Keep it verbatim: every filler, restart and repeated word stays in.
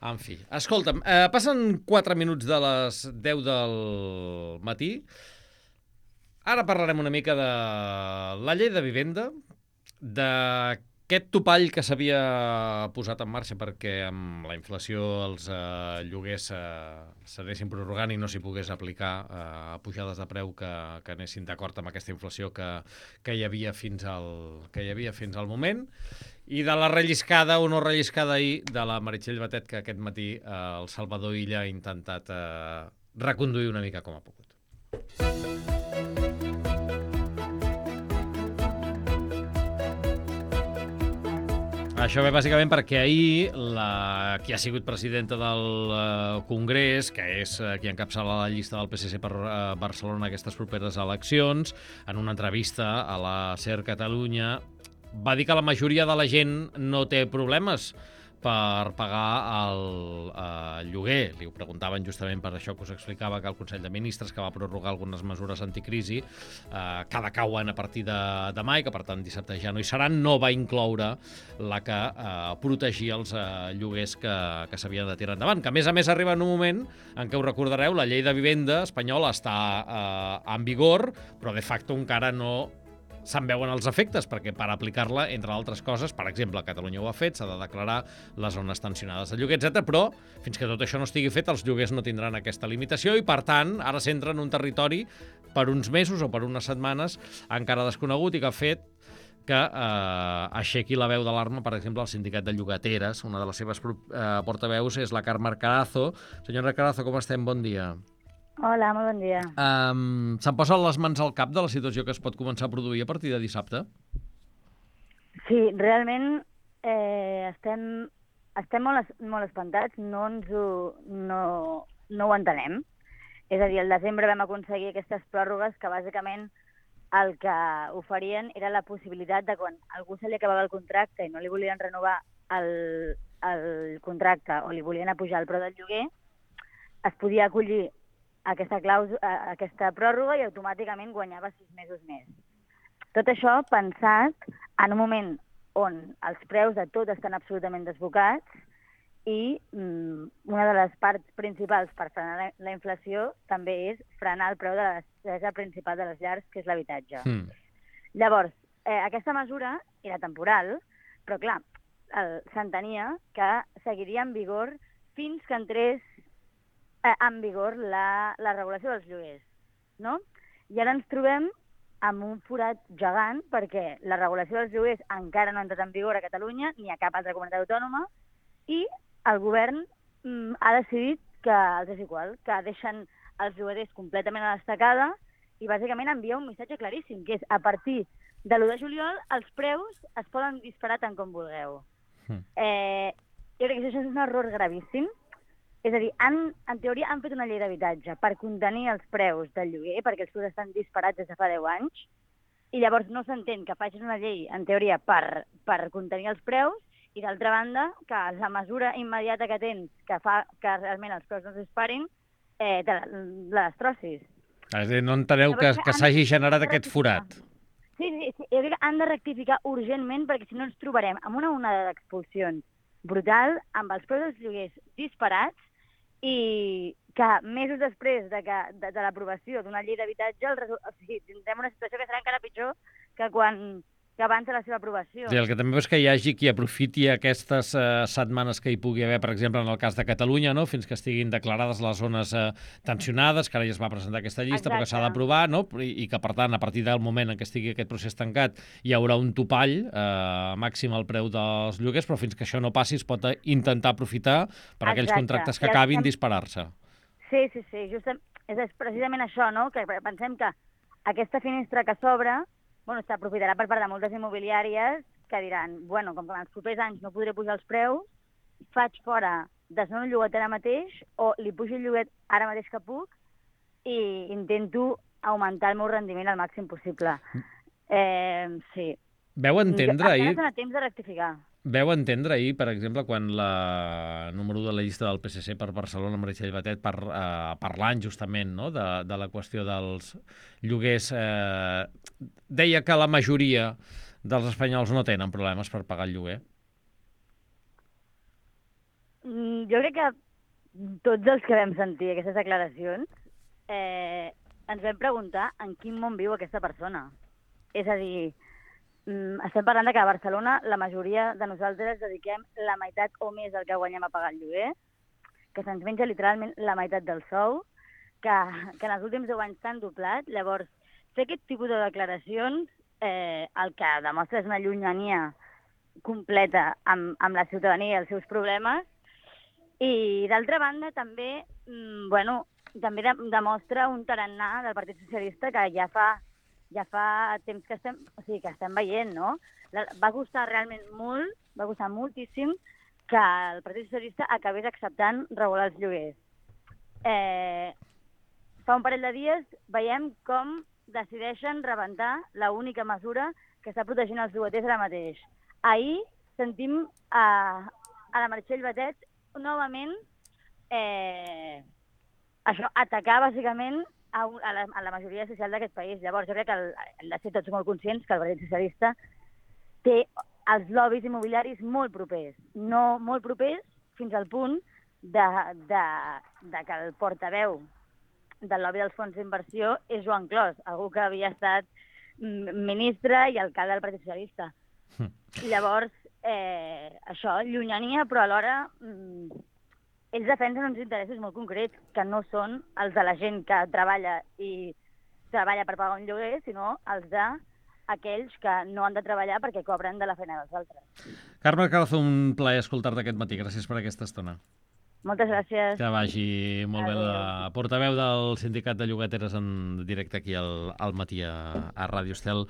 En fi, escolta'm, eh, passen quatre minuts de les deu del matí. Ara parlarem una mica de la llei de vivenda, d'aquest topall que s'havia posat en marxa perquè amb la inflació els eh, lloguers eh, s'anessin prorrogant i no s'hi pogués aplicar eh, pujades de preu que, que anessin d'acord amb aquesta inflació que, que, hi havia fins al, que hi havia fins al moment. I de la relliscada o no relliscada ahir de la Meritxell Batet, que aquest matí eh, el Salvador Illa ha intentat eh, reconduir una mica com ha pogut. Això ve bàsicament perquè ahir la, qui ha sigut presidenta del uh, Congrés, que és uh, qui encapçala la llista del P S C per uh, Barcelona aquestes properes eleccions, en una entrevista a la SER Catalunya, va dir que la majoria de la gent no té problemes per pagar el uh, lloguer. Li ho preguntaven justament per això que us explicava que el Consell de Ministres, que va prorrogar algunes mesures anticrisi, uh, que decauen a partir de demà i que, per tant, dissabte ja no hi seran, no va incloure la que uh, protegia els uh, lloguers que, que s'havien de tirar endavant. Que, a més a més, arriba en un moment en què, ho recordareu, la llei de vivenda espanyola està uh, en vigor, però de facto encara no se'n veuen els efectes, perquè per aplicar-la, entre altres coses, per exemple, Catalunya ho ha fet, s'ha de declarar les zones tensionades de lloguer, etcètera, però fins que tot això no estigui fet, els lloguers no tindran aquesta limitació i, per tant, ara s'entra en un territori per uns mesos o per unes setmanes encara desconegut i que ha fet que eh, aixequi la veu d'alarma, per exemple, el sindicat de llogateres. Una de les seves eh, portaveus és la Carme Carazo. Senyora Carazo, com estem? Bon dia. Hola, molt bon dia. Um, Se'n posen les mans al cap de la situació que es pot començar a produir a partir de dissabte? Sí, realment eh, estem, estem molt, es, molt espantats, no, ens ho, no, no ho entenem. És a dir, el desembre vam aconseguir aquestes pròrrogues que bàsicament el que oferien era la possibilitat de quan algú se li acabava el contracte i no li volien renovar el, el contracte o li volien apujar el preu del lloguer, es podia acollir aquesta, clàusula, aquesta pròrroga i automàticament guanyava sis mesos més. Tot això pensat en un moment on els preus de tot estan absolutament desbocats i mm, una de les parts principals per frenar la, la inflació també és frenar el preu de la despesa principal de les llars, que és l'habitatge. Mm. Llavors, eh, aquesta mesura era temporal, però clar, s'entenia que seguiria en vigor fins que entrés en vigor la, la regulació dels lloguers, no? I ara ens trobem amb un forat gegant perquè la regulació dels lloguers encara no ha entrat en vigor a Catalunya ni a cap altra comunitat autònoma i el govern mm, ha decidit que els és igual, que deixen els lloguers completament a l'estacada i bàsicament envia un missatge claríssim, que és a partir de l'u de juliol els preus es poden disparar tant com vulgueu. Mm. Eh, jo crec que això és un error gravíssim. És a dir, han, en teoria han fet una llei d'habitatge per contenir els preus del lloguer, perquè els preus estan disparats des de fa deu anys, i llavors no s'entén que facin una llei, en teoria, per, per contenir els preus, i d'altra banda, que la mesura immediata que tens, que fa que realment els preus no es disparin, eh, te la, la destrossis. És a dir, no enteneu llavors, que, que s'hagi generat aquest forat. Sí, sí, sí, jo crec que han de rectificar urgentment, perquè si no ens trobarem amb una onada d'expulsions brutal, amb els preus dels lloguers disparats, i que mesos després de, que, de, de l'aprovació d'una llei d'habitatge o sigui, tindrem una situació que serà encara pitjor que quan que abans de la seva aprovació. Sí, el que també és que hi hagi qui aprofiti aquestes eh, setmanes que hi pugui haver, per exemple, en el cas de Catalunya, no? Fins que estiguin declarades les zones eh, tensionades, que ara ja es va presentar aquesta llista, Exacte. Però que s'ha d'aprovar, no? I, i que, per tant, a partir del moment en què estigui aquest procés tancat, hi haurà un topall eh, màxim al preu dels lloguers, però fins que això no passi es pot intentar aprofitar per aquells Exacte. Contractes que acabin estem... disparar-se. Sí, sí, sí, justament, és precisament això, no? Que pensem que aquesta finestra que s'obre bueno, s'aprofitarà per part de moltes immobiliàries que diran, bueno, com que en els propers anys no podré pujar els preus, faig fora desnono el lloguet ara mateix o li pujo el lloguet ara mateix que puc i intento augmentar el meu rendiment al màxim possible. Eh, sí. Veu entendre ahir... Encara temps de rectificar. Veu entendre ahir, per exemple, quan la número u de la llista del P S C per Barcelona, Meritxell Batet, par, eh, parlant justament no? de, de la qüestió dels lloguers, eh, deia que la majoria dels espanyols no tenen problemes per pagar el lloguer? Jo crec que tots els que vam sentir aquestes declaracions eh, ens vam preguntar en quin món viu aquesta persona. És a dir, estem parlant de que a Barcelona la majoria de nosaltres dediquem la meitat o més del que guanyem a pagar el lloguer, que se'ns menja literalment la meitat del sou, que, que en els últims deu anys s'han doblat. Llavors, fer aquest tipus de declaracions eh, el que demostra és una llunyania completa amb, amb la ciutadania i els seus problemes. I, d'altra banda, també, mm, bueno, també de, demostra un tarannà del Partit Socialista que ja fa, ja fa temps que estem, o sigui, que estem veient, no? La, va costar realment molt, va costar moltíssim que el Partit Socialista acabés acceptant regular els lloguers. Eh, fa un parell de dies veiem com decideixen rebentar l'única mesura que està protegint els llogaters ara mateix. Ahir sentim a, a la Meritxell Batet novament eh, això, atacar bàsicament a, a, la, a la majoria social d'aquest país. Llavors jo crec que el, hem de ser tots molt conscients que el Partit Socialista té els lobbies immobiliaris molt propers, no molt propers fins al punt de, de, de que el portaveu del lobby dels fons d'inversió és Joan Clos, algú que havia estat ministre i alcalde del Partit Socialista. Mm. Llavors, eh, això, llunyania, però alhora mm, ells defensen uns interessos molt concrets, que no són els de la gent que treballa i treballa per pagar un lloguer, sinó els de aquells que no han de treballar perquè cobren de la feina dels altres. Carme Calzo, un plaer escoltar-te aquest matí. Gràcies per aquesta estona. Moltes gràcies. Que vagi molt Adeu. Bé la portaveu del Sindicat de Llogateres en directe aquí al, al matí a, a Ràdio Estel.